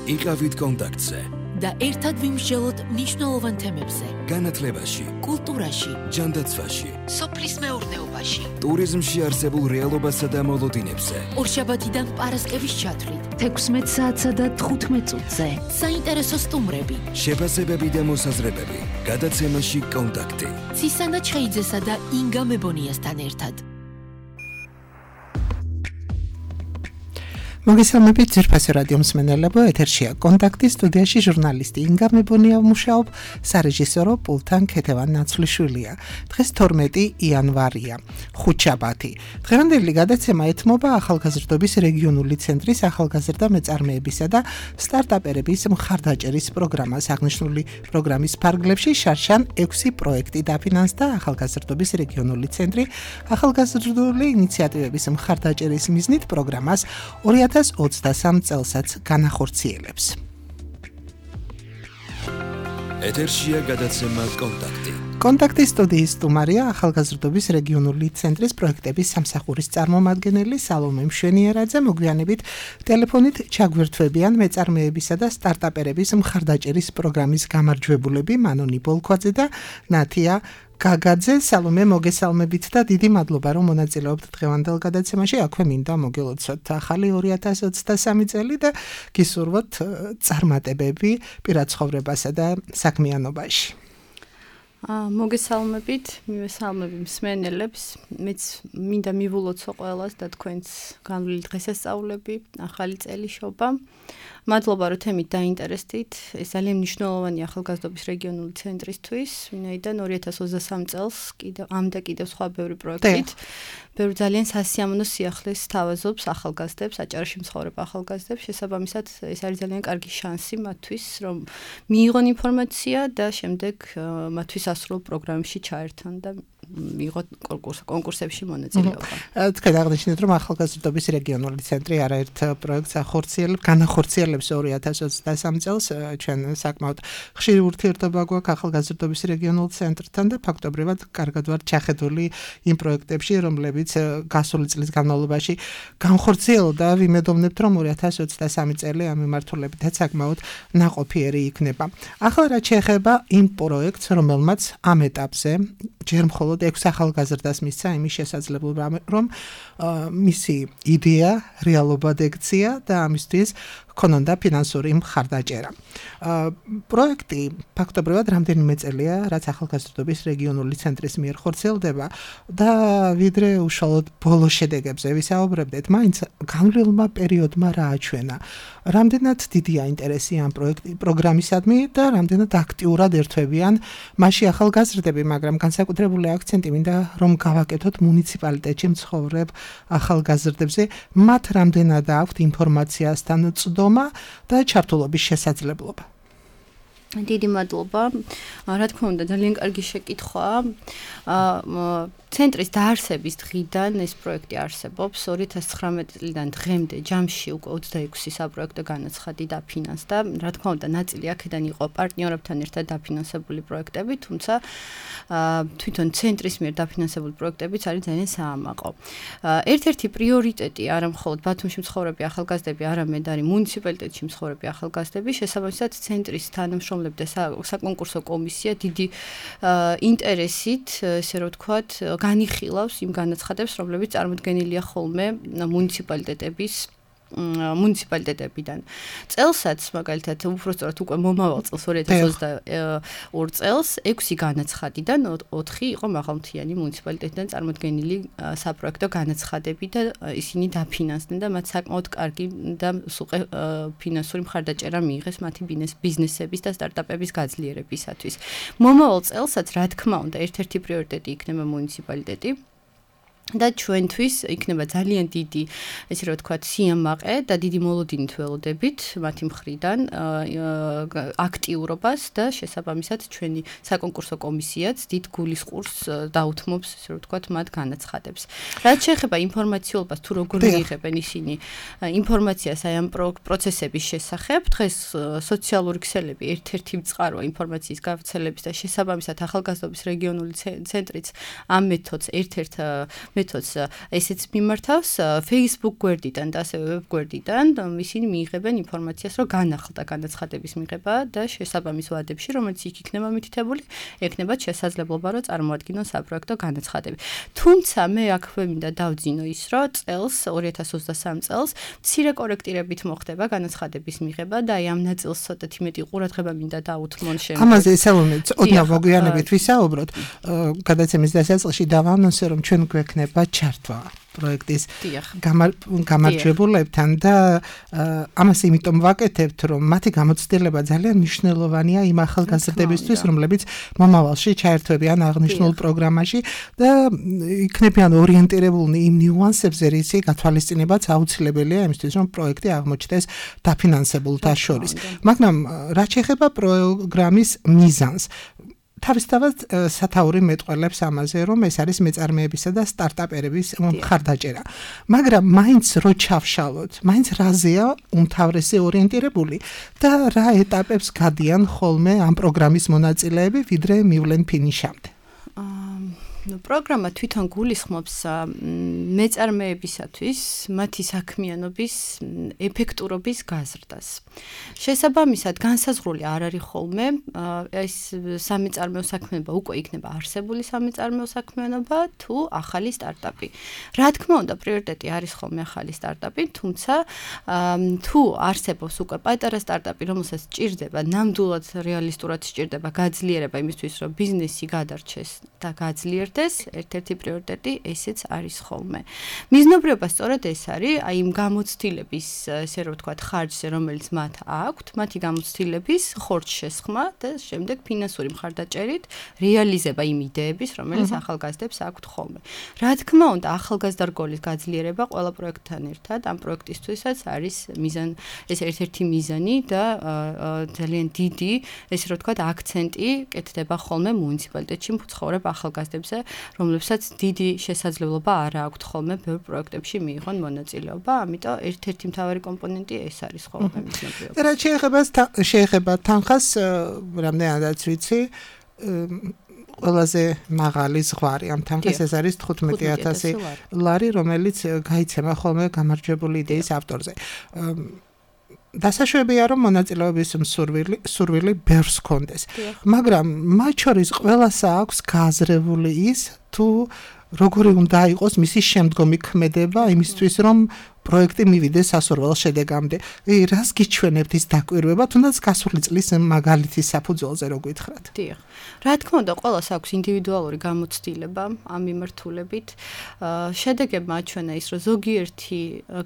იყავით კონტაქტზე და ერთად ვიმსჯელოთ მნიშვნელოვან თემებზე. განათლებაში, კულტურაში, ჯანდაცვაში, სოფლის მეურნეობაში, ტურიზმში არსებულ რეალობასა და მოლოდინებზე. ორშაბათიდან პარასკევის ჩათვლით, 16 საათსა და 15 წუთზე. საინტერესო სტუმრები, შეფასებები და მოსაზრებები. გადაცემაში კონტაქტი. ცისანა ჩხეიძესა და ინგა მებონიასთან ერთად. მოგესალმებით ძვირფასი რადიო მსმენელებო, ეთერშია კონტაქტი, სტუდიაში ჟურნალისტი ინგა მებონია მუშაობ, სარეჟისორო პულთან ქეთევან ნაცვლიშვილია. დღეს 12 იანვარია, ხუთშაბათი. დღევანდელი გადაცემა ეთმობა ახალგაზრდობის რეგიონული ცენტრის ახალგაზრდა მეწარმეებისა და სტარტაპერების მხარდაჭერის პროგრამას. აღნიშნული პროგრამის ფარგლებში შარშან 6 პროექტი დაფინანსდა ახალგაზრდობის რეგიონული ცენტრი ახალგაზრდული ინიციატივების მხარდაჭერის მიზნით პროგრამას 2023 წელსაც განახორციელებს. ეთერშია გადაცემა კონტაქტი. კონტაქტის სტუდიის სტუმარია ახალგაზრდობის რეგიონული ცენტრის პროექტების სამსახურის წარმომადგენელი სალომე მშვენიერაძე. მოგვიანებით ტელეფონით ჩაგვერთვებიან მეწარმეებისა და სტარტაპერების მხარდაჭერის პროგრამის გამარჯვებულები მანონი ბოლქვაძე და ნათია გაგაძე. სალომე, მოგესალმებით და დიდი მადლობა რომ მონაწილეობთ დღევანდელ გადაცემაში. აქვე მინდა მოგელოცოთ ახალი 2023 წელი და გისურვოთ წარმატებები პირად ცხოვრებასა და საქმიანობაში. მოგესალმებით, მივესალმები მსმენელებს. მეც მინდა მივულოცო ყველას და თქვენს განვლილი დღესასწაულები, ახალი წელი შობა. მადლობა რომ თემით დაინტერესდით. ეს ძალიან მნიშვნელოვანი ახალგაზრდობის რეგიონული ცენტრისთვის, ვინაიდან 2023 წელს კიდევ სხვა ბევრი პროექტით, ბევრი ძალიან სასიამოვნო სიახლეს თავაზობს ახალგაზრდებს, აჭარაში მცხოვრებ ახალგაზრდებს. შესაბამისად, ეს არის ძალიან კარგი შანსი მათთვის, რომ მიიღონ ინფორმაცია და შემდეგ მათთვის ასრულებელ პროგრამებში ჩაერთონ და მიიღოთ კონკურსებში მონაწილეობა. თქვენ აღნიშნეთ, რომ ახალგაზრდობის რეგიონული ცენტრი არაერთ პროექტს განახორციელებს 2023 წელს. ჩვენ საკმაოდ ხშირი ურთიერთობა გვაქვს ახალგაზრდობის რეგიონულ ცენტრთან და ფაქტობრივად კარგად ვართ ჩახედული იმ პროექტებში, რომლებიც გასული წლის განმავლობაში განხორციელდა. ვიმედოვნებთ, რომ 2023 წელი ამ მიმართულებითაც საკმაოდ ნაყოფიერი იქნება. ახლა რაც შეეხება იმ პროექტს, რომელმაც ამ ეტაპზე ჯერ მხოლოდ 6 ახალგაზრდას მისცა იმის შესაძლებლობა, რომ მისი იდეა რეალობად ექცია და ამისთვის ქონონდა ფინანსური მხარდაჭერა. პროექტი ფაქტობრივად რამდენიმე წელია, რაც ახალგაზრდობის რეგიონული ცენტრის მიერ ხორციელდება და ვიდრე უშუალოდ ბოლო შედეგებზე ვისაუბრებდეთ, მაინც განვლილმა პერიოდმა რა აჩვენა. რამდენად დიდია ინტერესი ამ პროგრამისადმი და რამდენად აქტიურად ერთვებიან მასში ახალგაზრდები, მაგრამ განსაკუთრებული აქცენტი მინდა რომ გავაკეთოთ მუნიციპალიტეტში მცხოვრებ ახალგაზრდებზე, მათ რამდენად აქვთ ინფორმაციასთან წდომა და ჩართულობის შესაძლებლობა. დიდი მადლობა. რა თქმა უნდა, ძალიან კარგი შეკითხვაა. ცენტრის დაარსების დღიდან ეს პროექტი არსებობს. 2019 წლიდან დღემდე ჯამში უკვე 26 საპროექტო განაცხადი დაფინანსდა. რა თქმა უნდა, ნაწილი აქედან იყო პარტნიორებთან ერთად დაფინანსებული პროექტები, თუმცა თვითონ ცენტრის მიერ დაფინანსებული პროექტებიც არის ძალიან საამაყო. ერთ-ერთი პრიორიტეტი არა მხოლოდ ბათუმში მცხოვრები ახალგაზრდები, არამედ არის მუნიციპალიტეტში მცხოვრები ახალგაზრდები. შესაბამისად, ცენტრის თანამშრომლები და საკონკურსო კომისია დიდი ინტერესით, ესე რომ ვთქვათ, განიხილავს იმ განაცხადებს, რომლებიც წარმოდგენილია ხოლმე მუნიციპალიტეტებიდან. წელსაც, მაგალითად, უბრალოდ უკვე მომავალ წელს 2022 წელს 6 განაცხადიდან 4 იყო მაღალმთიანი მუნიციპალიტეტიდან წარმოდგენილი საპროექტო განაცხადები და ისინი დაფინანსდნენ და მათ საკმაოდ კარგი და სუყე ფინანსური მხარდაჭერა მიიღეს მათი ბიზნესების და სტარტაპების გაძლიერებისათვის. მომავალ წელსაც, რა თქმა უნდა, ერთ-ერთი პრიორიტეტი იქნება მუნიციპალიტეტი. და ჩვენთვის იქნება ძალიან დიდი, ესე რომ ვთქვათ, სიამაყე და დიდი მოლოდინით ველოდებით მათი მხრიდან აქტიურობას და შესაბამისად ჩვენი საკონკურსო კომისიაც დიდ გულისყურს დაუთმობს, ესე რომ ვთქვათ, მათ განაცხადებს. რაც შეეხება ინფორმაციულობას, თუ როგორ მიიღებენ ისინი ინფორმაციას აი ამ პროცესების შესახებ, დღეს სოციალური ქსელები ერთ-ერთი წყაროა ინფორმაციის გავრცელების და შესაბამისად ახალგაზრდობის რეგიონული ცენტრიც ამ მეთოდს ერთ-ერთ მეთოდს ესეც მიმართავს Facebook გვერდიდან და ასევე web გვერდიდან ისინი მიიღებენ ინფორმაციას, რომ განახლდა განაცხადების მიღება და შესაბამის ვადებში, რომელიც იქ იქნება მითითებული, ექნებათ შესაძლებლობა, რომ წარმოადგინონ საპროექტო განაცხადები. თუმცა მე აქვე მინდა დავძინო ის, რომ წელს 2023 წელს მცირე კორექტირებით მოხდება განაცხადების მიღება და აი ამ ნაწილს ცოტათი მეტი ყურადღება მინდა დაუთმონ შემდგომ. ამაზე ესალონეთ, ოდნავ მოგვიანებით ვისაუბროთ. გადაცემის დასაწყისში დავანონსე, რომ ჩვენ გვექნება ჩართვა პროექტის გამარჯვებულებთან და ამას იმიტომ ვაკეთებთ, რომ მათი გამოცდილება ძალიან მნიშვნელოვანია იმ ახალგაზრდებისთვის, რომლებიც მომავალში ჩაერთვებიან აღნიშნულ პროგრამაში და იქნებიან ორიენტირებულნი იმ ნიუანსებზე, რისი გათვალისწინებაც აუცილებელია იმისთვის, რომ პროექტი აღმოჩნდეს დაფინანსებულთა შორის. მაგრამ რაც შეეხება პროგრამის მიზანს, თავისთავად სათაური მეტყველებს ამაზე, რომ ეს არის მეწარმეებისა და სტარტაპერების მხარდაჭერა. მაგრამ მაინც რო ჩავშალოთ, მაინც რაზეა უმთავრესი ორიენტირებული და რა ეტაპებს გადიან ხოლმე ამ პროგრამის მონაწილეები, ვიდრე მივლენ ფინიშამდე. პროგრამა თვითონ გულისხმობს მეწარმეებისათვის მათი საქმიანობის ეფექტურობის გაზრდას. შესაბამისად, განსაზღვრული არ არის ხოლმე ეს სამეწარმეო საქმიანობა უკვე იქნება არსებული სამეწარმეო საქმიანობა თუ ახალი სტარტაპი. რა თქმა უნდა, პრიორიტეტი არის ხოლმე ახალი სტარტაპი, თუმცა თუ არსებობს უკვე პატარა სტარტაპი, რომელსაც სჭირდება, ნამდვილად რეალისტურად სჭირდება გაძლიერება იმისთვის, რომ ბიზნესი გადარჩეს და გაძლიერდეს, ერთ-ერთი პრიორიტეტი ესეც არის ხოლმე. მიზნობრიობა სწორედ ეს არის, აი იმ გამოცდილების, ესე რომ ვთქვათ, ხარჯზე, რომელიც მათ აქვთ, მათი გამოცდილების ხორცშესხმა და შემდეგ ფინანსური მხარდაჭერით რეალიზება იმ იდეების, რომელიც ახალგაზრდებს აქვთ ხოლმე. რა თქმა უნდა, ახალგაზრდა რგოლის გაძლიერება ყველა პროექტთან ერთად ამ პროექტისთვისაც არის ეს ერთ-ერთი მიზანი და ძალიან დიდი, ესე რომ ვთქვათ, აქცენტი კეთდება ხოლმე მუნიციპალიტეტში მცხოვრებ ახალგაზრდებზე, რომლებსაც დიდი შესაძლებლობა არ აქვთ ხოლმე ბევრ პროექტებში მიიღონ მონაწილეობა, ამიტომ ერთ-ერთი მთავარი კომპონენტი ეს არის ხოლმე მიზნობრიობა. რაც შეეხება თანხას, რამდენადაც ვიცი, ყველაზე მაღალი ზღვარი ამ თანხის ეს არის 15,000 ლარი, რომელიც გაიცემა ხოლმე გამარჯვებული იდეის ავტორზე. დასაშვებია, რომ მონაწილეობის სურვილი ბევრს ჰქონდეს. მაგრამ მათ შორის ყველასა აქვს გააზრებული ის, თუ როგორი უნდა იყოს მისი შემდგომი ქმედება იმისთვის, რომ პროექტი მივიდეს სასურველ შედეგამდე. რას გიჩვენებთ ის დაკვირვება, თუნდაც გასული წლის მაგალითის საფუძველზე რო გითხრათ? დიახ. რა თქმა უნდა, ყველას აქვს ინდივიდუალური გამოცდილება ამ მიმართულებით. შედეგებმა აჩვენა ის, რომ ზოგიერთი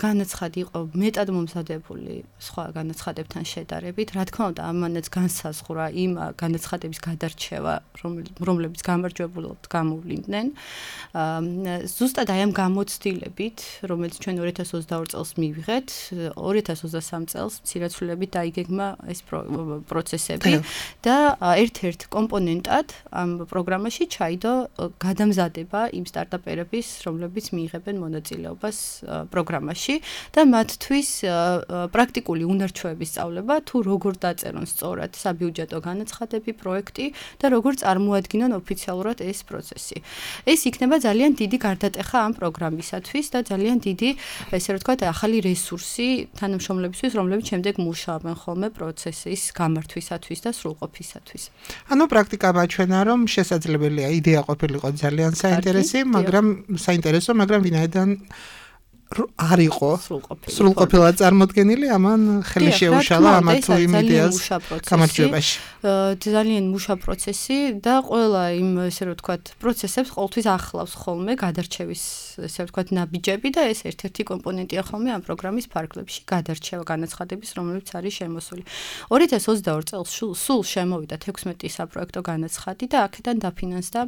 განაცხადი იყო მეტად მომზადებული სხვა განაცხადებთან შედარებით. რა თქმა უნდა, ამანაც განსაზღვრა იმ განაცხადების გადარჩევა, რომლებიც გამარჯვებულად გამოვლინდნენ. ზუსტად აი ამ გამოცდილებით, რომელიც ჩვენ 2022 წელს მივიღეთ, 2023 წელს მცირეცვლილებით დაიგეგმა ეს პროცესები და ერთ-ერთ კომპონენტად ამ პროგრამაში ჩაიდო გადამზადება იმ სტარტაპერების, რომლებიც მიიღებენ მონაწილეობას პროგრამაში და მათთვის პრაქტიკული უნარჩვევების სწავლება, თუ როგორ დაწერონ სწორად საბიუჯეტო განაცხადები, პროექტი და როგორ წარმოადგინონ ოფიციალურად ეს პროცესი. ეს იქნება ძალიან დიდი გარდატეხა ამ პროგრამისათვის და ძალიან დიდი, ესე რომ ვთქვათ, ახალი რესურსი თანამშრომლებისთვის, რომლებიც შემდეგ მუშაობენ ხოლმე პროცესის გამართვისათვის და სრულყოფისათვის. ანუ პრაქტიკა მაჩვენა, რომ შესაძლებელია იდეა ყოფილიყო ძალიან საინტერესო, მაგრამ ვინაიდან არ იყო სრულყოფილად წარმოდგენილი, ამან ხელი შეუშალა ამა თუ იმ იდეას გამარჯვებაში. ძალიან მუშა პროცესი და ყველა იმ, ესე რომ ვთქვათ, პროცესებს ყოველთვის ახლავს ხოლმე გადარჩევის, ესე რომ ვთქვათ, ნაბიჯები და ეს ერთ-ერთი კომპონენტია ხოლმე ამ პროგრამის ფარგლებში, გადარჩევა განაცხადების, რომელიც არის შემოსული. 2022 წელს სულ შემოვიდა 16 საპროექტო განაცხადი და აქედან დაფინანსდა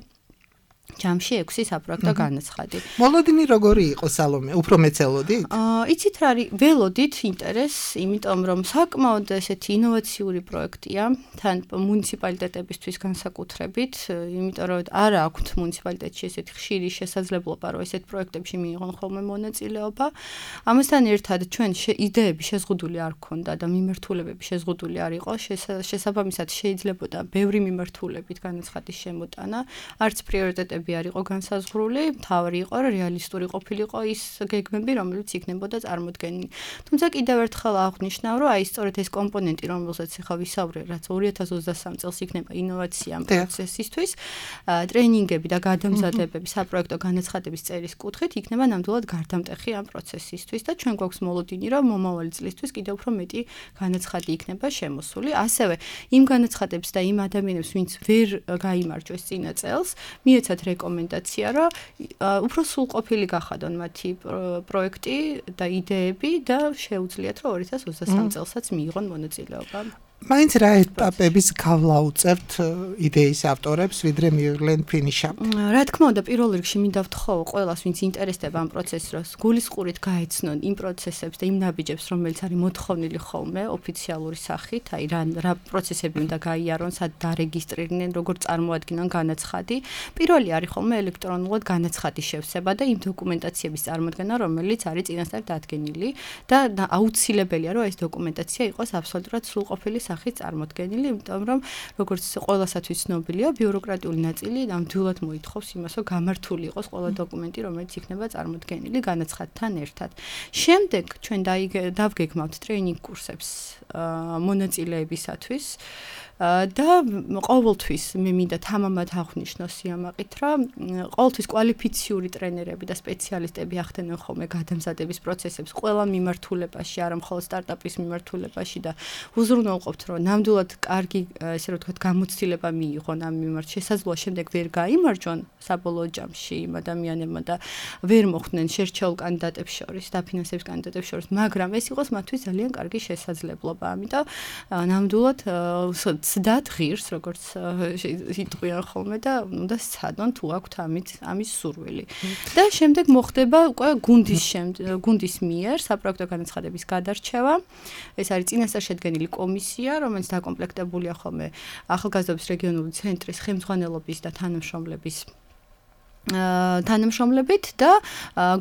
ჯამში 6 საპროექტო განაცხადი. მოლოდინი როგორი იყო, სალომე? უფრო მეცელოდით? იცით რა არის, ველოდით ინტერესს, იმიტომ რომ საკმაოდ ესეთი ინოვაციური პროექტია, თან მუნიციპალიტეტებისთვის განსაკუთრებით, იმიტომ რომ არ აქვთ მუნიციპალიტეტში ესეთი ხშირი შესაძლებლობა, რომ ესეთ პროექტებში მიიღონ ხოლმე მონაწილეობა. ამასთან ერთად ჩვენ იდეები შეზღუდული არ ქონდა და მიმართულებები შეზღუდული არ იყო, შესაბამისად შეიძლებოდა ბევრი მიმართულებით განაცხადის შემოტანა, არც პრიორიტეტები პროცესები არ იყო განსაზღვრული, თავი იყო რეალისტური ყოფილიყო ის გეგმები, რომელიც იქნებოდა წარმოდგენილი. თუმცა კიდევ ერთხელ აღვნიშნავ, რომ აი სწორედ ეს კომპონენტი, რომელსაც ახლა ვისაუბრე, რაც 2023 წელს იქნება ინოვაცია ამ პროცესისთვის, ტრენინგები და გადამზადებები საპროექტო განაცხადების წერის კუთხით იქნება ნამდვილად გარდამტეხი ამ პროცესისთვის და ჩვენ გვაქვს მოლოდინი, რომ მომავალი წლისთვის კიდევ უფრო მეტი განაცხადი იქნება შემოსული. ასევე იმ განაცხადებს და იმ ადამიანებს, ვინც ვერ გაიმარჯვეს წინა წელს, მიეცათ რეკომენდაცია, რომ უფრო სრულყოფილი გახადონ მათი პროექტი და იდეები და შეუძლიათ, რომ 2023 წელსაც მიიღონ მონაწილეობა. მაინც რა ეტაპების გავლა უწევთ იდეის ავტორებს, ვიდრე მიიღლენ ფინიშამდე? რა თქმა უნდა, პირველ რიგში მინდა ვთხოვო ყველას, ვინც ინტერესდება ამ პროცესს, რომ გულისყურით გაეცნონ იმ პროცესებს და იმ ნაბიჯებს, რომელიც არის მოთხოვნილი ხოლმე ოფიციალური სახით, აი რა პროცესები უნდა გაიარონ, სად დარეგისტრირდნენ, როგორ წარმოადგინონ განაცხადი. პირველი არის ხოლმე ელექტრონულად განაცხადის შევსება და იმ დოკუმენტაციების წარმოდგენა, რომელიც არის წინასწარ დადგენილი და აუცილებელია, რომ ეს დოკუმენტაცია იყოს აბსოლუტურად სრულყოფილი სახით წარმოდგენილი, იმიტომ რომ როგორც ყველასათვის ცნობილია, ბიუროკრატიული ნაწილი ნამდვილად მოითხოვს იმას, რომ გამართული იყოს ყველა დოკუმენტი, რომელიც იქნება წარმოდგენილი განაცხადთან ერთად. შემდეგ ჩვენ დავგეგმავთ ტრეინინგ კურსებს მონაწილეებისათვის და ყოველთვის მე მინდა თამამად აღვნიშნო სიამაყით, რომ ყოველთვის კვალიფიციური ტრენერები და სპეციალისტები ახდენენ ხოლმე გადამზადების პროცესებს ყველა მიმართულებაში, არა მხოლოდ სტარტაპის მიმართულებაში და უზრუნველყოფთ, რომ ნამდვილად კარგი, ესე რომ ვთქვათ, გამოცდილება მიიღონ ამ მიმართ. შესაძლოა შემდეგ ვერ გაიმარჯვონ საბოლოო ჯამში იმ ადამიანებმა და ვერ მოხვდნენ შერჩეულ კანდიდატებს შორის, დაფინანსების კანდიდატებს შორის, მაგრამ ეს იყოს მათთვის ძალიან კარგი შესაძლებლობა. ამიტომ ნამდვილად ცდათ ღირს, როგორც იტყვიან ხოლმე და უნდა სცადონ თუ აქვთ ამის სურვილი. და შემდეგ მოხდება უკვე გუნდის მიერ საპროექტო განაცხადების გადარჩევა. ეს არის წინასწარ შედგენილი კომისია, რომელიც დაკომპლექტებულია ხოლმე ახალგაზრდობის რეგიონული ცენტრის ხელმძღვანელობის და თანამშრომლებით და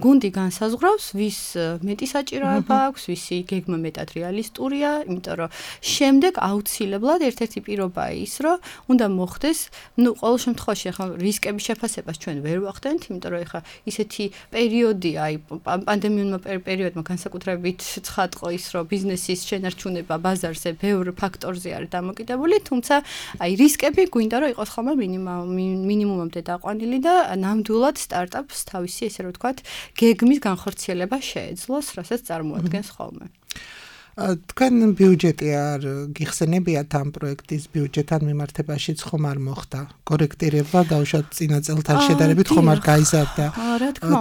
გუნდი განსაზღვრავს, ვის მეტი საჭიროება აქვს, ვისი გეგმა მეტად რეალისტურია, იმიტომ რომ შემდეგ აუცილებლად ერთ-ერთი პირობაა ის, რომ უნდა მოხდეს, ყოველ შემთხვევაში ახლა რისკების შეფასებას ჩვენ ვერ ვახდენთ, იმიტომ რომ ახლა ისეთი პერიოდი, აი პანდემიურმა პერიოდმა განსაკუთრებით ცხადყო ის, რომ ბიზნესის შენარჩუნება ბაზარზე ბევრ ფაქტორზე არის დამოკიდებული, თუმცა აი რისკები გვინდა რომ იყოს ხოლმე მინიმუმამდე დაყვანილი და ნამდვილად სტარტაპს თავისი, ესე რომ ვთქვათ, გეგმის განხორციელება შეეძლოს, რასაც წარმოადგენს ხოლმე. თქვენ ბიუჯეტი არ გიხსენებიათ ამ პროექტის ბიუჯეტთან მიმართებაშიც ხომ არ მოხდა კორექტირება დაუშვათ წინა წელთან შედარებით ხომ არ გაიზარდა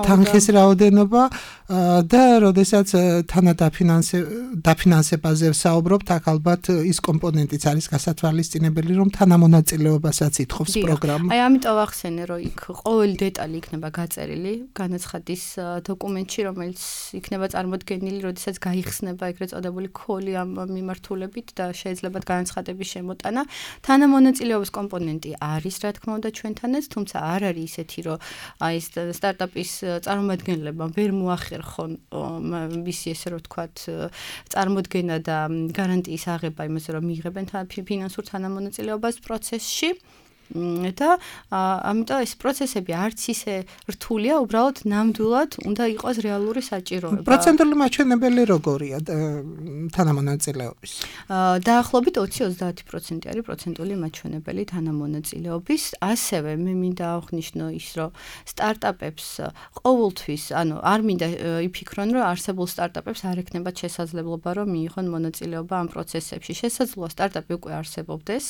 თანხის რაოდენობა და როდესაც თანადაფინანსებაზე ვსაუბრობთ, აქ ალბათ ის კომპონენტიც არის გასათვალისწინებელი, რომ თანამონაწილეობასაც ითხოვს პროგრამა. აი ამიტომ ვახსენე, რომ იქ ყოველი დეტალი იქნება გაწერილი განაცხადის დოკუმენტში, რომელიც იქნება წარმოდგენილი, როდესაც გაიხსნება ეგრეთ წოდებული ქოლი ამ მიმართულებით და შეიძლება განაცხადების შემოტანა. თანამონაწილეობის კომპონენტი არის, რა თქმა უნდა, ჩვენთანაც, თუმცა არ არის ისეთი, რომ აი სტარტაპის წარმომადგენლებმა ვერ მოახერხონ მისი, ესე რომ ვთქვათ, წარმოდგენა და გარანტიის აღება იმაზე, რომ მიიღებენ ფინანსურ თანამონაწილეობას პროცესში. და ამიტომ ეს პროცესები არც ისე რთულია, უბრალოდ ნამდვილად უნდა იყოს რეალური საჭიროება. პროცენტული მაჩვენებელი როგორია თანამონაწილეობის? დაახლოებით 20-30% არის პროცენტული მაჩვენებელი თანამონაწილეობის. ასევე მე მინდა აღვნიშნო ის, რომ სტარტაპებს ყოველთვის, არ მინდა იფიქრონ, რომ არსებულ სტარტაპებს არ ექნებათ შესაძლებლობა, რომ მიიღონ მონაწილეობა ამ პროცესებში. შესაძლოა სტარტაპი უკვე არსებობდეს.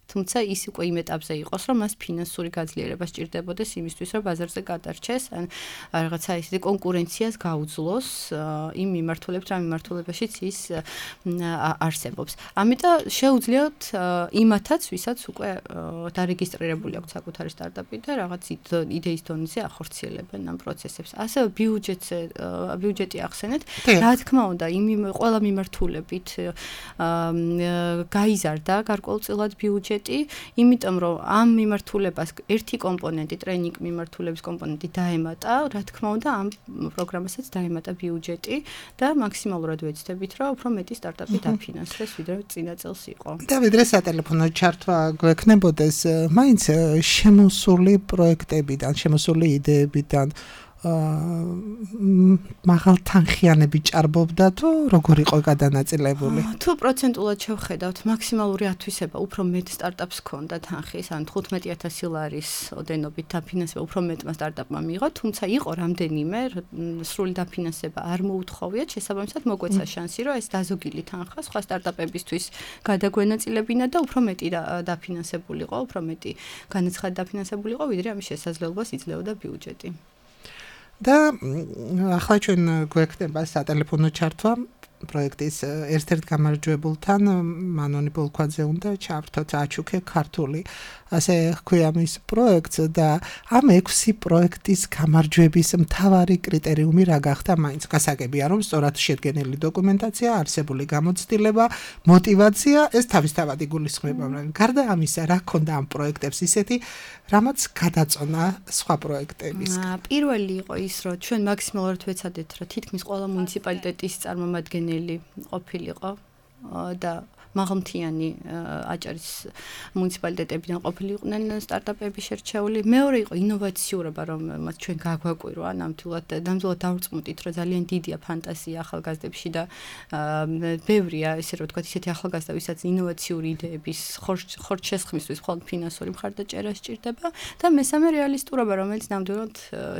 თუმცა ის უკვე იმ ეტაპზე იყოს, რომ მას ფინანსური გაძლიერება სჭირდებოდეს იმისთვის, რომ ბაზარზე გადარჩეს, ან რაღაცა ისეთი კონკურენციას გაუძლოს იმ მიმართულებით, რა მიმართულებაშიც ის არსებობს. ამიტომ შეუძლიათ იმათაც, ვისაც უკვე დარეგისტრირებული აქვს საკუთარი სტარტაპი და რაღაც იდეის დონეზე ახორციელებენ ამ პროცესებს. ასევე ბიუჯეტი ახსენეთ, რა თქმა უნდა, ყველა მიმართულებით გაიზარდა გარკვეულწილად ბიუჯეტი ბიუჯეტი, იმიტომ რომ ამ მიმართულებას ერთი კომპონენტი, ტრეინინგ მიმართულების კომპონენტი დაემატა, რა თქმა უნდა, ამ პროგრამასაც დაემატა ბიუჯეტი და მაქსიმალურად ვეცდებით, რომ უფრო მეტი სტარტაპი დაფინანსდეს, ვიდრე წინა წელს იყო. და ვიდრე სატელეფონო ჩართვა გვექნებოდეს, მაინც შემოსული პროექტებიდან, შემოსული იდეებიდან მაღალ თანხიანები ჭარბობდა თუ როგორ იყო გადანაწილებული? თუ პროცენტულად შევხედავთ, მაქსიმალური ათვისება უფრო მეტ სტარტაპს ჰქონდა თანხის, ან 15000 ლარის ოდენობით დაფინანსება უფრო მეტმა სტარტაპმა მიიღო, თუმცა იყო რამდენიმე სრული დაფინანსება არ მოუთხოვიათ, შესაბამისად მოგვეცა შანსი, რომ ეს დაზოგილი თანხა სხვა სტარტაპებისთვის გადაგვენაწილებინა და უფრო მეტი დაფინანსებულიყო, უფრო მეტი განაცხადი დაფინანსებულიყო, ვიდრე ამის შესაძლებლობას იძლეოდა ბიუჯეტი. და ახლა ჩვენ გვექნება სატელეფონო ჩართვა პროექტის ერთ-ერთ გამარჯვებულთან მანონი ბოლქვაძე უნდა ჩავრთოთ აჩუქე ქართული ასე ჰქვია მის პროექტს და ამ 6 პროექტის გამარჯვების მთავარი კრიტერიუმი რა გახდა მაინც გასაგებია რომ სწორად შედგენილი დოკუმენტაცია არსებული გამოცდილება мотиваცია ეს თავისთავად იგულისხმება მაგრამ გარდა ამისა რა ქონდა ამ პროექტებს ისეთი რამაც გადაწონა სხვა პროექტების პირველი იყო ის რომ ჩვენ მაქსიმალურად ვეცადეთ რომ თითქმის ყველა მუნიციპალიტეტის წარმომადგენელი ყოფილიყო და მაღალმთიანი აჭარის მუნიციპალიტეტებიდან ყოფილიყვნენ სტარტაპები შერჩეული. მეორე იყო ინოვაციურობა, რომ მათ ჩვენ გაგვაკვირვა, ნამდვილად დავწმუნდით, რომ ძალიან დიდია ფანტაზია ახალგაზრდებში და ბევრია, ესე რომ ვთქვათ, ისეთი ახალგაზრდა, ვისაც ინოვაციური იდეების ხორცშესხმისთვის მხოლოდ ფინანსური მხარდაჭერა სჭირდება და მესამე რეალისტურობა, რომელიც ნამდვილად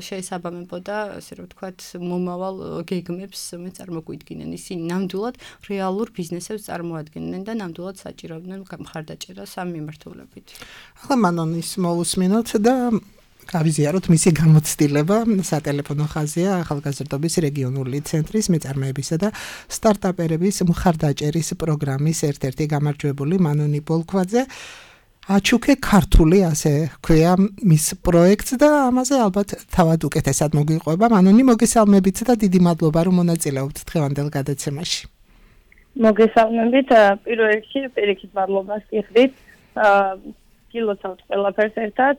შეესაბამებოდა, ესე რომ ვთქვათ, მომავალ გეგმებს, რომელიც წარმოგვიდგინენ. ისინი ნამდვილად რეალურ ბიზნესებს წარმოადგენდნენ და ნამდვილად საჭიროდნენ მხარდაჭერას ამ მიმართულებით. ახლა მანონის მოусმინოთ და გავიზიაროთ მისი გამოცდილება სატელეფონო ხაზია ახალგაზრდობის რეგიონული ცენტრის მეწარმეებისა და სტარტაპერების მხარდაჭერის პროგრამის ერთ-ერთი გამარჯვებული მანონი ბოლქვაძე აჩუქე ქართული ასე ჰქვია მის პროექტს და ამაზე ალბათ თავად უკეთესად მოგვიყვება მანონი მოგესალმებით და დიდი მადლობა რომ მონაწილეობთ დღევანდელ გადაცემაში. მოგესალმებით, პირველ რიგში პირიქით მადლობას გიხდით. გილოცავთ ყველაფერს ერთად.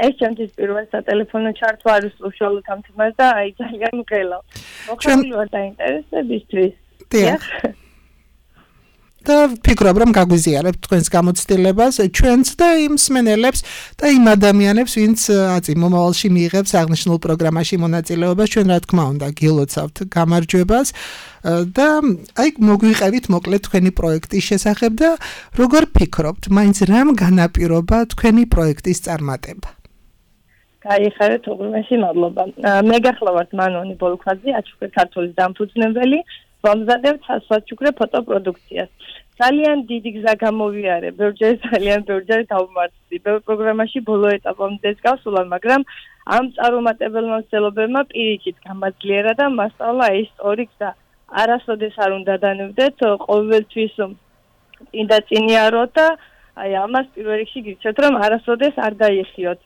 ეს ჩემთვის პირველ სატელეფონო ჩართვა არის უშუალოდ ამ თემაზე და აი ძალიან მღელავ. მოხდილი ვარ დაინტერესებისთვის. დიახ. და ფიქრობ რომ გაგვიზიარებთ თქვენს გამოცდილებას ჩვენც და იმ მსმენელებს და იმ ადამიანებს ვინც აწი მომავალში მიიღებს აღნიშნულ პროგრამაში მონაწილეობას ჩვენ რა თქმა უნდა გილოცავთ გამარჯვებას და აი მოგვიყევით მოკლედ თქვენი პროექტის შესახებ და როგორ ფიქრობთ მაინც რამ განაპირობა თქვენი პროექტის წარმატება გაიხარეთ უღრმესი მადლობა მე გახლავართ მანონი ბოლქვაძე აჩუქე ქართულის დამფუძნებელი ვამზადებ სასვაჩუქრე ფოტოპროდუქციას. ძალიან დიდი გზა გამოვიარე, ბევრჯერ ძალიან ბევრჯერ დავმარცხდი. ბევრ პროგრამაში ბოლო ეტაპამდე გავსულა, მაგრამ ამ წარუმატებელმა მცდელობებმა პირიქით გამაძლიერა და მასწავლა ეს ორი გზა. არასოდეს არ უნდა დანებდეთ, ყოველთვის წინ წინიაროთ და აი ამას პირველ რიგში გიცეთ, რომ არასოდეს არ დაიხიოთ.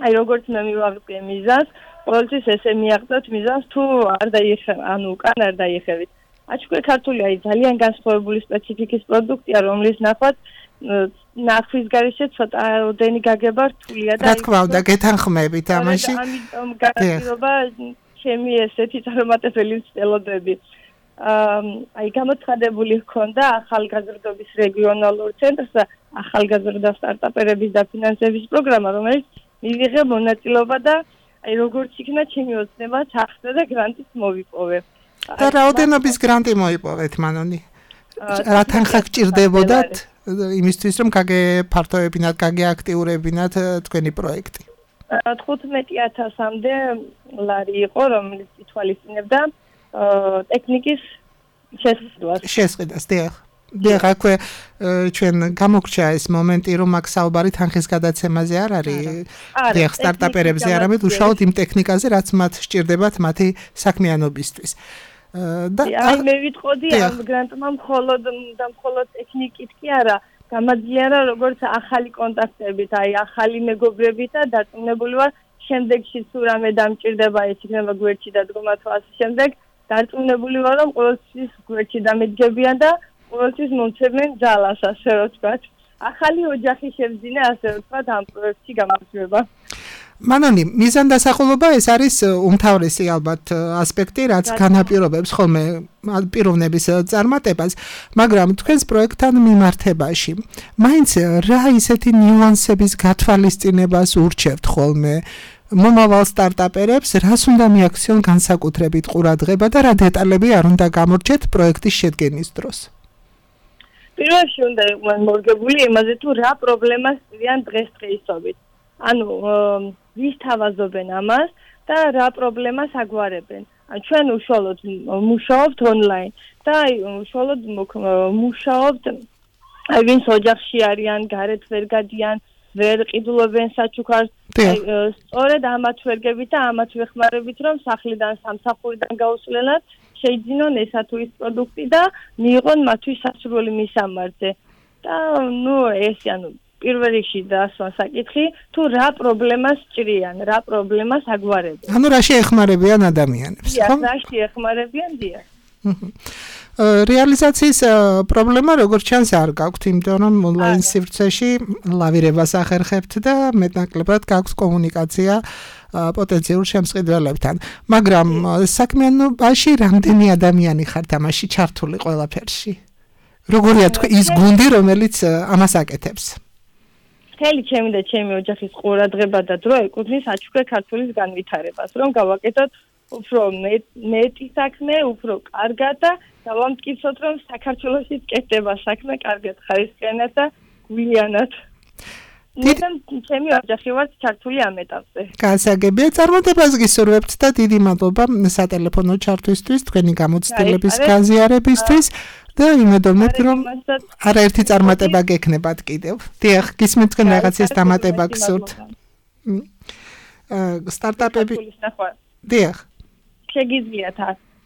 აი როგორც მე მივაღვიე მიზანს ყოველთვის ესე მიაღწევთ მიზანს თუ არ დაიხევ, ანუ უკან არ დაიხევით. აჩუქე ქართული აი ძალიან განსხვავებული სპეციფიკის პროდუქტია, რომლის ნახვაც ნახვის გარეშე ცოტა ოდენი გაგება რთულია და რა თქმა უნდა გეთანხმებით ამაში. ამიტომ განაპირობა ჩემი ესეთი წარუმატებელი მცდელობები. აი გამოცხადებული ჰქონდა ახალგაზრდობის რეგიონალურ ცენტრს და ახალგაზრდა სტარტაპერების დაფინანსების პროგრამა, რომელიც მივიღე მონაწილეობა და აი როგორც იქნა ჩემი ოცნება ჩახდა და გრანტიც მოვიპოვე. და რაოდენობის გრანტი მოიპოვეთ მანონი? რა თანხა გჭირდებოდათ იმისთვის რომ გაგეფართოებინათ, გაგეაქტიურებინათ თქვენი პროექტი? 15000-მდე ლარი იყო, რომელიც ითვალისწინებდა ტექნიკის შესყიდვას. შესყიდვას, დიახ. დიახ, აქვე ჩვენ გამოგრჩა ეს მომენტი, რომ აქ საუბარი თანხის გადაცემაზე არ არის. დიახ, სტარტაპერებზე არამედ უშუალოდ იმ ტექნიკაზე, რაც მათ სჭირდებათ მათი საქმიანობისთვის. და აი მე ვიტყოდი ამ გრანტმა მხოლოდ ტექნიკით კი არა, გამაძლიერა როგორც ახალი კონტაქტებით, აი ახალი მეგობრებით და დარწმუნებული ვარ, შემდეგში თუ რამე დამჭირდება, ეს იქნება გვერდში დადგომა თუ ასე შემდეგ, დარწმუნებული ვარ, რომ ყოველთვის გვერდში დამედგებიან და ყოველთვის მომცემენ ძალას, ასე რომ ვთქვათ. ახალი ოჯახი შევძინა, ასე ვთქვათ, ამ პროექტში გამარჯვება. მანონი, მიზანდასახულობა ეს არის უმთავრესი ალბათ ასპექტი, რაც განაპირობებს ხოლმე პიროვნების წარმატებას, მაგრამ თქვენს პროექტთან მიმართებაში, მაინც რა ისეთი ნიუანსების გათვალისწინებას ურჩევთ ხოლმე მომავალ სტარტაპერებს, რას უნდა მიაქციონ განსაკუთრებით ყურადღება და რა დეტალები არ უნდა გამორჩეთ პროექტის შედგენის დროს? პირველში უნდა იყვნენ მორგებული იმაზე, თუ რა პრობლემას წვიან დღესდღეობით. ანუ ვის თავაზობენ ამას და რა პრობლემას აგვარებენ. ჩვენ უშუალოდ მუშაობთ ონლაინ და უშუალოდ მუშაობთ ვინც ოჯახში არიან, გარეთ ვერ გადიან, ვერ ყიდულობენ საჩუქარს. სწორედ ამათ ვერგებით და ამათ ვეხმარებით, რომ სახლიდან სამსახურიდან გაუსვლელად შეიძინონ ესა თუ ის პროდუქტი და მიიღონ მათთვის სასურველი მისამართზე. და ეს პირველ რიგში დასვა საკითხი, თუ რა პრობლემას ჭრიან, რა პრობლემას აგვარებენ. ანუ რაში ეხმარებიან ადამიანებს, ხო? რაში ეხმარებიან, დიახ. რეალიზაციის პრობლემა როგორც ჩანს არ გაქვთ, იმიტომ რომ ონლაინ სივრცეში ლავირებას ახერხებთ და მეტნაკლებად გაქვთ კომუნიკაცია პოტენციურ შემსყიდველებთან. მაგრამ საქმიანობაში რამდენი ადამიანი ხართ ამაში ჩართული ყველაფერში? როგორია ის გუნდი, რომელიც ამას აკეთებს? მთელი ჩემი და ჩემი ოჯახის ყურადღება და დრო ეკუთვნის აჩუქრე ქართულის განვითარებას, რომ გავაკეთოთ უფრო მეტი საქმე, უფრო კარგად და დავამტკიცოთ, რომ საქართველოში კეთდება საქმე კარგად, ხარისხიანად და გულიანად. ჩემი ოჯახი ვართ ჩართული ამ ეტაპზე. გასაგებია, წარმატებას გისურვებთ და დიდი მადლობა სატელეფონო ჩართვისთვის, თქვენი გამოცდილების გაზიარებისთვის. და იმედოვნებთ, რომ არაერთი წარმატება გექნებათ კიდევ. დიახ, გისმენთ თქვენ რაღაცის დამატება გსურთ. სტარტაპები. დიახ. შეგიძლიათ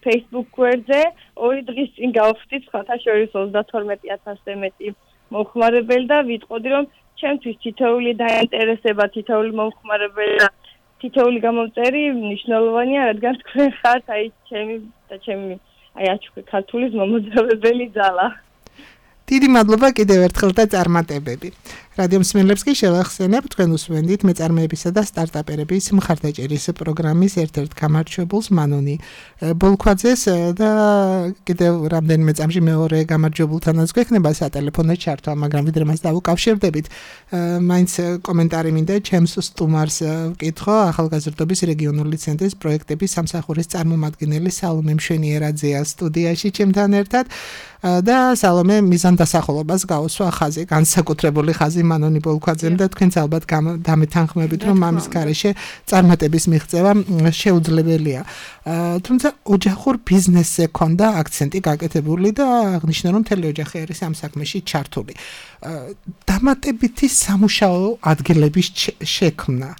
Facebook გვერდზე 2 დღის წინ გავხდით სხვათა შორის 32,000-ზე მეტი მომხმარებელი და ვიტყოდი, რომ ჩემთვის თითოეული დაინტერესება, თითოეული მომხმარებელი და თითოეული გამომწერი მნიშვნელოვანია, რადგან თქვენ ხართ ჩემი აჩუქრე ქართულის მომოძრავებელი ძალა. დიდი მადლობა კიდევ ერთხელ და წარმატებები. რადიო მსმენელებს კი შევახსენებ, თქვენ უსმენთ მეწარმეებისა და სტარტაპერების მხარდაჭერის პროგრამის ერთ-ერთ გამარჯვებულს მანონი ბოლქვაძეს და კიდევ რამდენიმე წამში მეორე გამარჯვებულთანაც გვექნება სატელეფონო ჩართვა, მაგრამ ვიდრე მას დავუკავშირდებით, მაინც კომენტარი მინდა ჩემს სტუმარს ვკითხო, ახალგაზრდობის რეგიონული ცენტრის პროექტების სამსახურის წარმომადგენელი სალომე მშვენიერაძეა სტუდიაში ჩემთან ერთად და სალომე მიზანდასახულობას გაუსვა ხაზი, განსაკუთრებული ხაზი მანონი ბოლქვაძემ და თქვენც ალბათ დამეთანხმებით, რომ ამის გარეშე წარმატების მიღწევა შეუძლებელია. თუმცა ოჯახურ ბიზნესზე ქონდა აქცენტი გაკეთებული და აღნიშნა, რომ მთელი ოჯახი არის ამ საქმეში ჩართული. დამატებითი სამუშაო ადგილების შექმნა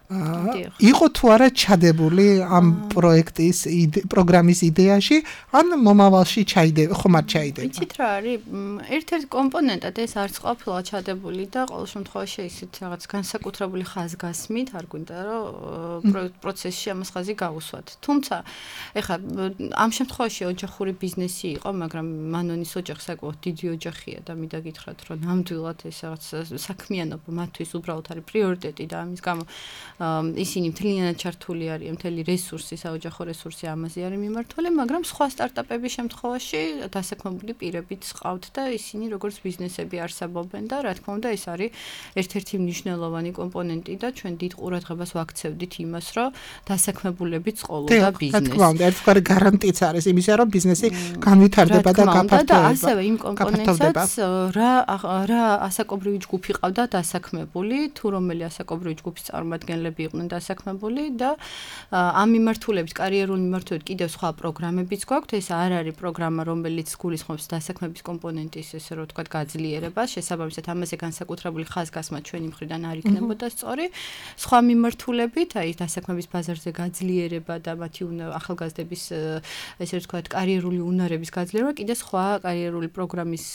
იყო თუ არა ჩადებული ამ პროექტის პროგრამის იდეაში, ან მომავალში ხომ არ ჩაიდება? იცით რა არის? ერთ-ერთი კომპონენტად ეს არც ყოფილა ჩადებული და ყოველ შემთხვევაში ისეთ რაღაც განსაკუთრებული ხაზგასმით არ გვინდა რომ პროცესში ამას ხაზი გავუსვათ. თუმცა ეხლა ამ შემთხვევაში ოჯახური ბიზნესი იყო, მაგრამ მანონის ოჯახი საკმაოდ დიდი ოჯახია და მინდა გითხრათ, რომ ნამდვილად ეს რაღაც საქმიანობა მათთვის უბრალოდ არის პრიორიტეტი და ამის გამო ისინი მთლიანად ჩართული არიან, მთელი რესურსი, საოჯახო რესურსი ამაზე არის მიმართული, მაგრამ სხვა სტარტაპების შემთხვევაში დასაქმებული პირებიც ყავთ და ისინი როგორც ბიზნესები არსებობენ და რა თქმა უნდა ეს არის ერთ-ერთი მნიშვნელოვანი კომპონენტი და ჩვენ დიდ ყურადღებას ვაქცევდით იმას, რომ დასაქმებულებიც ყოლოდა ბიზნესი. რა თქმა უნდა, ერთგვარი გარანტიც არის იმისა, რომ ბიზნესი განვითარდება და გაფართოება. და ასევე იმ კომპონენტსაც რა ასაკობრივი ჯგუფი ყავდა დასაქმებული, თუ რომელი ასაკობრივი ჯგუფის წარმომადგენლები იყვნენ დასაქმებული და ამ მიმართულებით, კარიერული მიმართულებით კიდევ სხვა პროგრამებიც გვაქვთ. ეს არ არის პროგრამა, რომელიც გულისხმობს დასაქმების კომპონენტის, ესე რომ ვთქვათ, გაძლიერებას. შესაბამისად, ამაზე განსაკუთრებული ხაზგასმა ჩვენი მხრიდან არ იქნებოდა სწორი. სხვა მიმართულებით, აი დასაქმების ბაზარზე გაძლიერება და მათი ახალგაზრდების, ესე ვთქვათ, კარიერული უნარების გაძლიერება კიდევ სხვა კარიერული პროგრამის,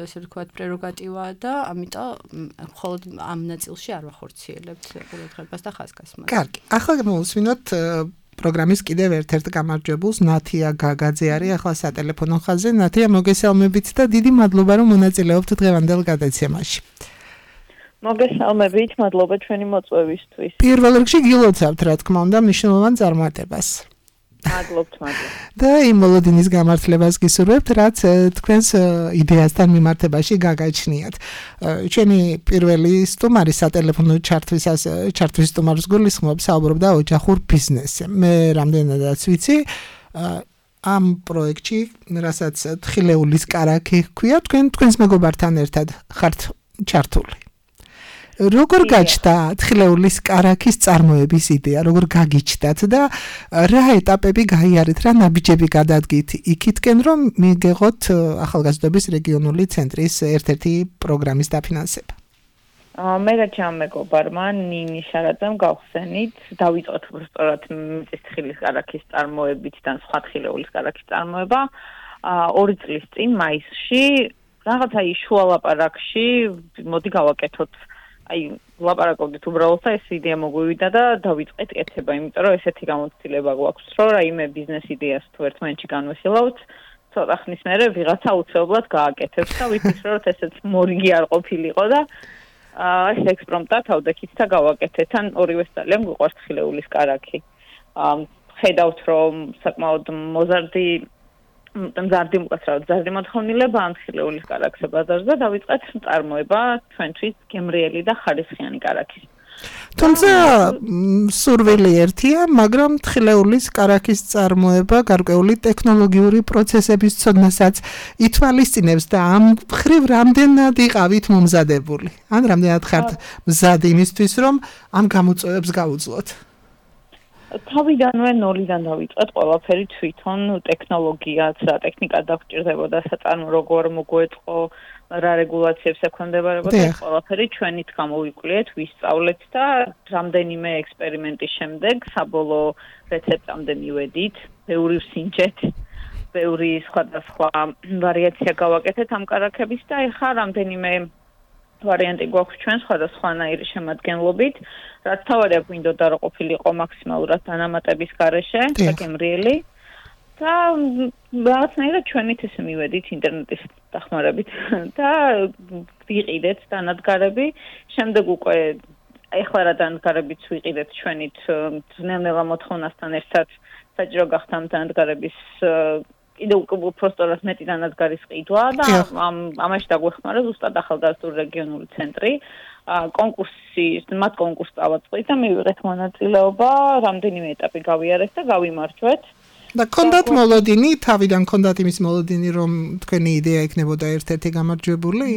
ესე ვთქვათ, პრეროგატივაა და ამიტომ მხოლოდ ამ ნაწილში არ ვახორციელებთ ყურადღებას და ხაზგასმას. კარგი, ახლა მოვუსმინოთ პროგრამის კიდევ ერთ-ერთ გამარჯვებულს ნათია გაგაძე არის ახლა სატელეფონო ხაზზე. ნათია, მოგესალმებით და დიდი მადლობა რომ მონაწილეობთ დღევანდელ გადაცემაში. მოგესალმებით, მადლობა ჩვენი მოწვევისთვის. პირველ რიგში გილოცავთ, რა თქმა უნდა, მნიშვნელოვან წარმატებას. მადლობთ. და იმ მოლოდინის გამართლებას გისურვებთ, რაც თქვენს იდეასთან მიმართებაში გაგაჩნიათ. ჩვენი პირველი სტუმარი სატელეფონო ჩართვის სტუმარს გულისხმობს, საუბრობდა ოჯახურ ბიზნესზე. მე რამდენადაც ვიცი, ამ პროექტში, რასაც თხილეულის კარაქი ჰქვია, თქვენს მეგობართან ერთად ხართ ჩართული. როგორ გაჩნდა თხილეულის კარაქის წარმოების იდეა, როგორ გაგიჩნდათ და რა ეტაპები გაიარეთ, რა ნაბიჯები გადადგით იქითკენ, რომ მიგეღოთ ახალგაზრდობის რეგიონული ცენტრის ერთ-ერთი პროგრამის დაფინანსება? მე და ჩემ მეგობარმა ნინი შარაძემ გავხსენით, დავიწყოთ უბრალოდ მიწისთხილის კარაქის წარმოებით და სხვა თხილეულის კარაქის წარმოება 2 წლის წინ მაისში, რაღაცა შუა ლაპარაკში, მოდი გავაკეთოთ. ლაპარაკობდით უბრალოდ და ეს იდეა მოგვივიდა და დავიწყეთ კეთება, იმიტომ რომ ესეთი გამოცდილება გვაქვს, რომ რაიმე ბიზნეს იდეას თუ ერთმანეთში განვიხილავთ, ცოტა ხნის მერე ვიღაცა უცებობლად გააკეთებს და ვიფიქრე, რომ ესეც მორიგი არ ყოფილიყო და ეს ექსპრომტად ავდექით და გავაკეთეთ. ან ორივეს ძალიან გვიყვარს თხილეულის კარაქი. ხედავთ, რომ საკმაოდ მზარდი მოთხოვნილება ამ თხილეულის კარაქზე ბაზარზე დავიწყეთ წარმოება ჩვენთვის გემრიელი და ხარისხიანი კარაქის. თუმცა სურვილი ერთია, მაგრამ თხილეულის კარაქის წარმოება გარკვეული ტექნოლოგიური პროცესების ცოდნასაც ითვალისწინებს და ამ მხრივ რამდენად იყავით მომზადებული? ან რამდენად ხართ მზად იმისთვის, რომ ამ გამოწვევებს გაუძლოთ? თავიდანვე ნოლიდან დავიწყეთ ყველაფერი თვითონ ტექნოლოგიაც და ტექნიკა დაგვჭირდებოდა საწარმო როგორ მოგვეწყო რა რეგულაციებს ექვემდებარებოდა ყველაფერი ჩვენით გამოვიკვლიეთ ვისწავლეთ და რამდენიმე ექსპერიმენტის შემდეგ საბოლოო რეცეპტამდე მივედით ბევრი ვსინჯეთ ბევრი სხვადასხვა ვარიაცია გავაკეთეთ ამ კარაქების და ეხლა რამდენიმე ვარიანტი გვაქვს ჩვენ სხვადასხვანაირი შემადგენლობით, რაც თავარია გვინდოდა რომ ყოფილიყო მაქსიმალურად დანამატების გარეშე, გემრიელი და რაღაცნაირად ჩვენით ესე მივედით ინტერნეტის დახმარებით და ვიყიდეთ დანადგარები, შემდეგ უკვე ეხლა რა დანადგარებიც ვიყიდეთ ჩვენით ძნელნელა მოთხოვნასთან ერთად საჭირო გახდა ამ დანადგარების კიდევ უბრალოდ მეტი დანადგარის ყიდვა და ამაში დაგვეხმარა ზუსტად ახალგაზრდული რეგიონული ცენტრი მათ კონკურსს წავაწყდით და მივიღეთ მონაწილეობა რამდენიმე ეტაპი გავიარეთ და გავიმარჯვეთ და კონდათ მოლოდინი თავიდან კონდათ იმის მოლოდინი რომ თქვენი იდეა იქნებოდა ერთ-ერთი გამარჯვებული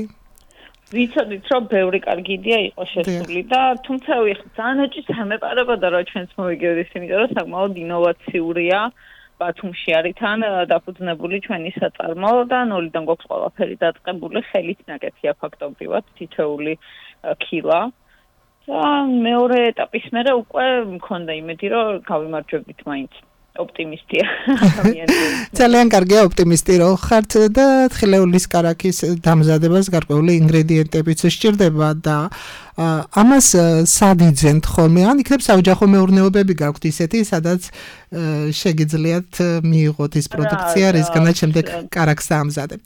ვიცოდით რომ ბევრი კარგი იდეა იყო შესული და თუმცა ძალიან ეჭვს ამეპარებოდა რომ ჩვენც მოვიგებდით იმიტომ რომ საკმაოდ ინოვაციურია ბათუმში არის თან დაფუძნებული ჩვენი საწარმო და ნოლიდან გვაქვს ყველაფერი დაწყებული ხელით ნაკეთია ფაქტობრივად თითოეული ქილა და მეორე ეტაპის მერე უკვე მქონდა იმედი რომ გავიმარჯვებდით მაინც ოპტიმისტია ძალიან კარგია ოპტიმისტი რომ ხართ და თხილეულის კარაქის დამზადებას გარკვეული ინგრედიენტებიც სჭირდება და ამას სად იძენთ ხოლმე ან იქნებ საოჯახო მეურნეობები გაქვთ ისეთი სადაც შეგიძლიათ მიიღოთ ის პროდუქცია რისგანაც შემდეგ კარაქს დაამზადებთ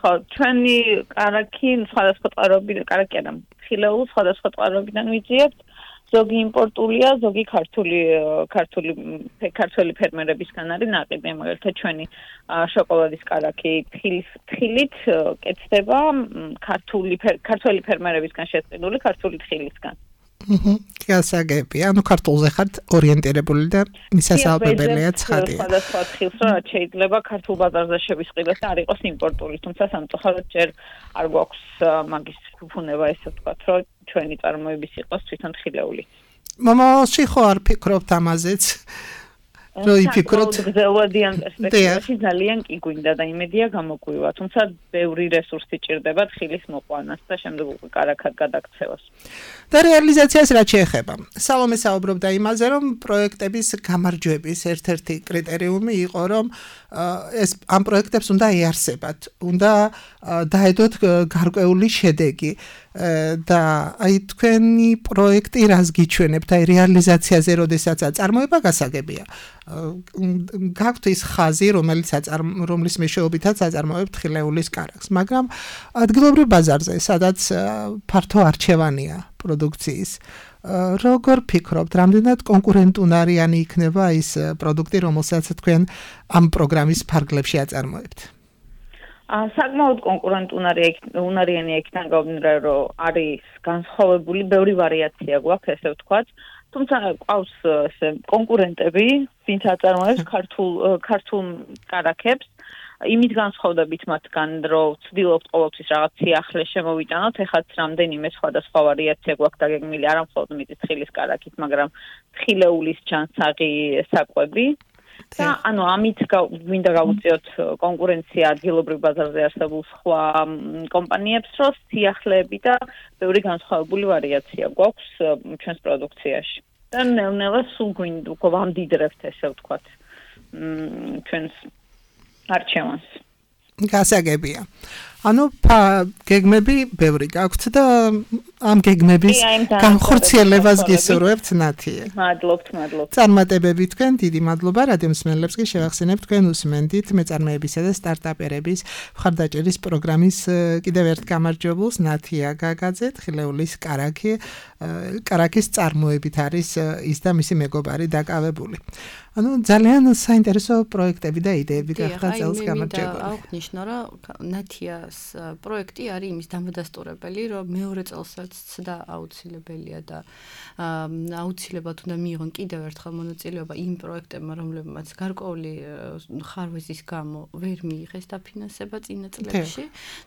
ხო ჩვენი კარაქი სხვადასხვა წყაროებიდან კარაქი არა თხილეულს სხვადასხვა წყაროებიდან ვიძიებთ ზოგი იმპორტულია, ზოგი ქართული ფერმერებისგან არის ნაყიდი, მაგალითად ჩვენი შოკოლადის კარაქი თხილით კეთდება ქართული ფერმერებისგან შეწყებული ქართული თხილისგან. გასაგები, ანუ ქართულზე ხართ ორიენტირებული და მისასალმებელია ცხადია. სხვადასხვა თხილს რაც შეიძლება ქართულ ბაზარზე შევისყიდოთ და არ იყოს იმპორტული, თუმცა სამწუხაროდ ჯერ არ გვაქვს მაგის ფუფუნება ესე ვთქვათ, რომ ჩვენი წარმოების იყოს თვითონ თხილეული. მომავალში ხო არ ფიქრობთ ამაზეც? რომ იფიქროთ გრძელვადიან პერსპექტივაში ძალიან კი გვინდა და იმედია გამოგვივა, თუმცა ბევრი რესურსი ჭირდება თხილის მოყვანას და შემდეგ უკვე კარაქად გადაქცევას. და რეალიზაციას რაც შეეხება. სალომე საუბრობდა იმაზე, რომ პროექტების გამარჯვების ერთ-ერთი კრიტერიუმი იყო, რომ ამ პროექტებს უნდა ეარსებათ, უნდა დაედოთ გარკვეული შედეგი. და აი თქვენი პროექტი რას გიჩვენებთ აი რეალიზაციაზე როდესაც აწარმოება გასაგებია გაქვთ ის ხაზი რომლის მეშვეობითაც აწარმოებთ ხილეულის კარაქს მაგრამ ადგილობრივ ბაზარზე სადაც ფართო არჩევანია პროდუქციის როგორ ფიქრობთ რამდენად კონკურენტუნარიანი იქნება ის პროდუქტი რომელსაც თქვენ ამ პროგრამის ფარგლებში აწარმოებთ საკმაოდ კონკურენტუნარიანი იქნება გამომდინარე რომ არის განსხვავებული ბევრი ვარიაცია გვაქვს ესე ვთქვათ თუმცა ყავს ესე კონკურენტები ვინც აწარმოებს ქართულ კარაქებს იმით განსხვავდებით მათგან რომ ვცდილობთ ყოველთვის რაღაც სიახლე შემოვიტანოთ ეხაც რამდენიმე სხვადასხვა ვარიაცია გვაქვს დაგეგმილი არა მხოლოდ მიწისხილის კარაქით მაგრამ თხილეულის ჯანსაღი საკვები და ანუ ამით გვინდა გავუწიოთ კონკურენცია ადგილობრივ ბაზარზე არსებულ სხვა კომპანიებს რომ სიახლეები და ბევრი განსხვავებული ვარიაცია გვაქვს ჩვენს პროდუქციაში და ნელ-ნელა სულ გვინდა უკვე ვამდიდრებთ ესე ვთქვათ ჩვენს არჩევანს გასაგებია ანუ გეგმები ბევრი გაქვთ და ამ გეგმების განხორციელებას გისურვებთ ნათიე. მადლობთ. წარმატებები თქვენ, დიდი მადლობა რადიომსმენელებს კი შევახსენებთ თქვენ უსმენდით მეწარმეებისა და სტარტაპერების მხარდაჭერის პროგრამის კიდევ ერთ გამარჯვებულს ნათია გაგაძე ხილეულის კარაქის წარმოებით არის ის და მისი მეგობარი დაკავებული. ანუ ძალიან საინტერესო პროექტები და იდეები გახდა წელს გამარჯვებული. აღნიშნო რომ ნათიას პროექტი არის იმის დამადასტურებელი რომ მეორე წელსაც და აუცილებელია და აუცილებლად უნდა მიიღონ კიდევ ერთხელ მონაწილეობა იმ პროექტებმა რომლებმაც გარკვეული ხარვეზის გამო ვერ მიიღეს დაფინანსება წინა წლებში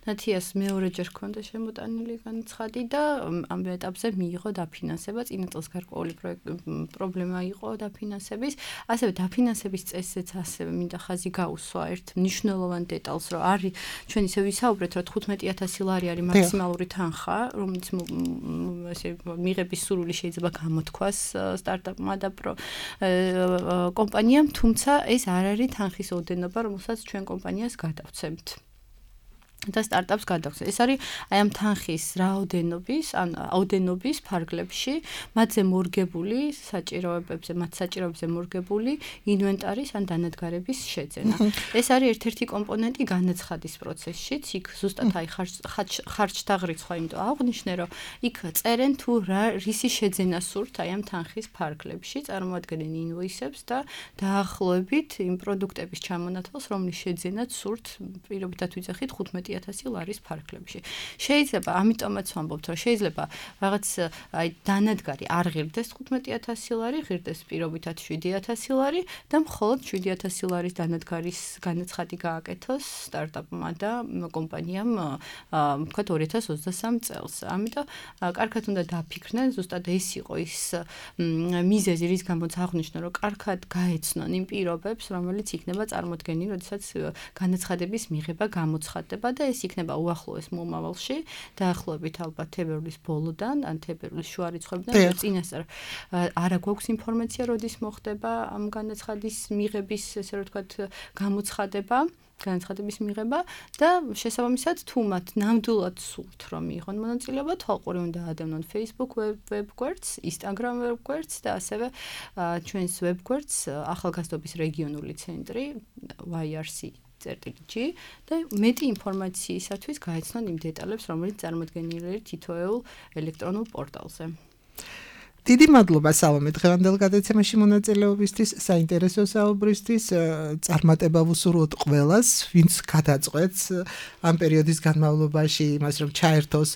ნათიას მეორეჯერ ჰქონდა შემოტანილი განცხადი და ამ ეტაპზე მიიღო დაფინანსება წინა წელს გარკვეული პრობლემა იყო დაფინანსების ასევე დაფინანსების წესიც ასევე მინდა ხაზი გაუსვა ერთ მნიშვნელოვან დეტალს რომ არის ჩვენ ისე ვისაუბრეთ რომ 15000 ლარი არის მაქსიმალური თანხა რომელიც ესე მიღების სურვილი შეიძლება გამოთქვას სტარტაპმა და კომპანიამ თუმცა ეს არ არის თანხის ოდენობა რომელსაც ჩვენ კომპანიას გადავცემთ და სტარტაპს გადავცემთ. ეს არის აი ამ თანხის რაოდენობის ფარგლებში მათზე მორგებული საჭიროებებზე მორგებული ინვენტარის ან დანადგარების შეძენა. ეს არის ერთ-ერთი კომპონენტი განაცხადის პროცესშიც. იქ ზუსტად აი ხარჯთა რიცხვი, იმიტომ აღნიშნე რომ იქ წერენ თუ რისი შეძენა სურთ აი ამ თანხის ფარგლებში, წარმოადგენენ ინვოისებს და დაახლოებით იმ პროდუქტების ჩამონათვალს, რომლის შეძენაც სურთ, პირობითად ვიძახით 15000 ლარის ფარგლებში. შეიძლება, ამიტომაც ვამბობთ, რომ შეიძლება რაღაც აი დანადგარი არ ღირდეს 15000 ლარი, ღირდეს პირობითად 7000 ლარი და მხოლოდ 7000 ლარის დანადგარის განაცხადი გააკეთოს სტარტაპმა და კომპანიამ, ვთქვათ 2023 წელს. ამიტომ კარგად უნდა დაფიქრდნენ, ზუსტად ეს იყო ის მიზეზი, რის გამოც აღნიშნო, რომ კარგად გაეცნონ იმ პირობებს, რომელიც იქნება წარმოდგენილი, როდესაც განაცხადების მიღება გამოცხადდება და ეს იქნება უახლოეს მომავალში, დაახლოებით ალბათ თებერვლის ბოლოდან, ან თებერვლის შუა რიცხვებიდან, წინასწარ არა გვაქვს ინფორმაცია, როდის მოხდება ამ განაცხადის მიღების, ესე რომ ვთქვათ, განაცხადების მიღება და შესაბამისად თუ მათ ნამდვილად სურთ რომ მიიღონ მონაწილეობა, თვალყური უნდა ადევნონ Facebook ვებგვერდს, Instagram ვებგვერდს და ასევე ჩვენს ვებგვერდს ახალგაზრდობის რეგიონული ცენტრი YRC.G და მეტი ინფორმაციისათვის გაეცნონ იმ დეტალებს, რომელიც წარმოდგენილია თითოეულ ელექტრონულ პორტალზე. დიდი მადლობა სალომე დღევანდელ გადაცემაში მონაწილეობისთვის, საინტერესო საუბრისთვის, წარმატება ვუსურვოთ ყველას, ვინც გადაწყვეტს ამ პერიოდის განმავლობაში იმას, რომ ჩაერთოს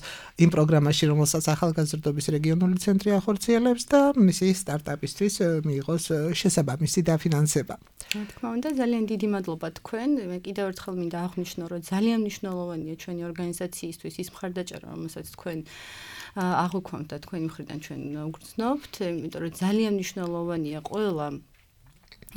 იმ პროგრამაში, რომელსაც ახალგაზრდობის რეგიონული ცენტრი ახორციელებს და მისი სტარტაპისთვის მიიღოს შესაბამისი დაფინანსება. რა თქმა უნდა, ძალიან დიდი მადლობა თქვენ. მე კიდევ ერთხელ მინდა აღვნიშნო, რომ ძალიან მნიშვნელოვანია ჩვენი ორგანიზაციისთვის ის მხარდაჭერა, რომელსაც თქვენ აღვქვამთ და თქვენი მხრიდან ჩვენ ვგრძნობთ, იმიტომ რომ ძალიან მნიშვნელოვანია ყველა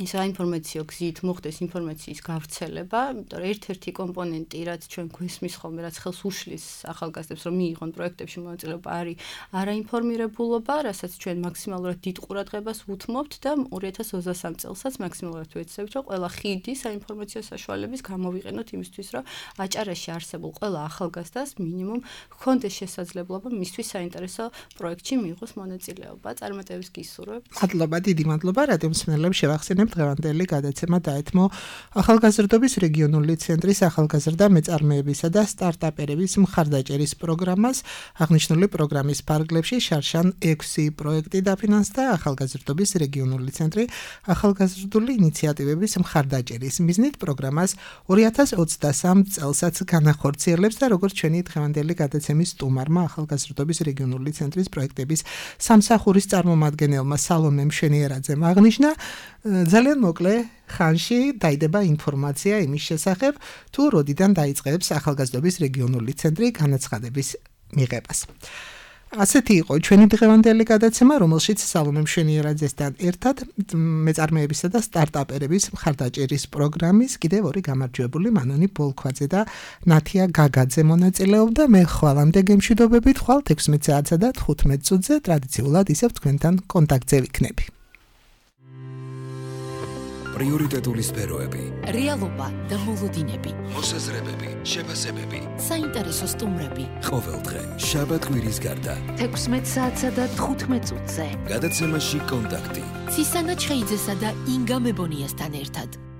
ის საინფორმაციო გზით მოხდეს ინფორმაციის გავრცელება, იმიტომ რომ ერთ-ერთი კომპონენტი, რაც ჩვენ გვესმის ხოლმე, რაც ხელს უშლის ახალგაზრდებს, რომ მიიღონ პროექტებში მონაწილეობა, არის არაინფორმირებულობა, რასაც ჩვენ მაქსიმალურად დიდ ყურადღებას უთმობთ და 2023 წელსაც მაქსიმალურად ვეცდებით, რომ ყველა ხიდი საინფორმაციო საშუალების გამოვიყენოთ იმისთვის, რომ აჭარაში არსებულ ყველა ახალგაზრდას მინიმუმ ჰქონდეს შესაძლებლობა მისთვის საინტერესო პროექტში მიიღოს მონაწილეობა. წარმატებებს გისურვებთ. მადლობა, დიდი მადლობა რადიო მსმენელებს შევახსენებ დღევანდელი გადაცემა დაეთმო ახალგაზრდობის რეგიონული ცენტრის ახალგაზრდა მეწარმეებისა და სტარტაპერების მხარდაჭერის პროგრამას. აღნიშნული პროგრამის ფარგლებში შარშან 6 პროექტი დაფინანსდა ახალგაზრდობის რეგიონული ცენტრი ახალგაზრდული ინიციატივების მხარდაჭერის მიზნით პროგრამას 2023 წელსაც განახორციელებს და როგორც ჩვენი დღევანდელი გადაცემის სტუმარმა ახალგაზრდობის რეგიონული ცენტრის პროექტების სამსახურის წარმომადგენელმა სალომე მშვენიერაძემ აღნიშნა, ძალიან მოკლე ხანში დაიდება ინფორმაცია იმის შესახებ, თუ როდიდან დაიწყებს ახალგაზრდობის რეგიონული ცენტრი განაცხადების მიღებას. ასეთი იყო ჩვენი დღევანდელი გადაცემა, რომელშიც სალომე მშვენიერაძესთან ერთად მეწარმეებისა და სტარტაპერების მხარდაჭერის პროგრამის კიდევ ორი გამარჯვებული მანონი ბოლქვაძე და ნათია გაგაძე მონაწილეობდა. მე ხვალამდე გემშვიდობებით, ხვალ 16 საათსა და 15 წუთზე ტრადიციულად ისევ თქვენთან კონტაქტზე ვიქნები. პრიორიტეტული სფეროები, რეალობა და მოლოდინები, მოსაზრებები, შეფასებები, საინტერესო სტუმრები. ყოველდღე შაბათ-კვირის გარდა 16 საათსა და 15 წუთზე. გადაცემაში კონტაქტი. ცისანა ჩხეიძესა და ინგა მებონიასთან ერთად.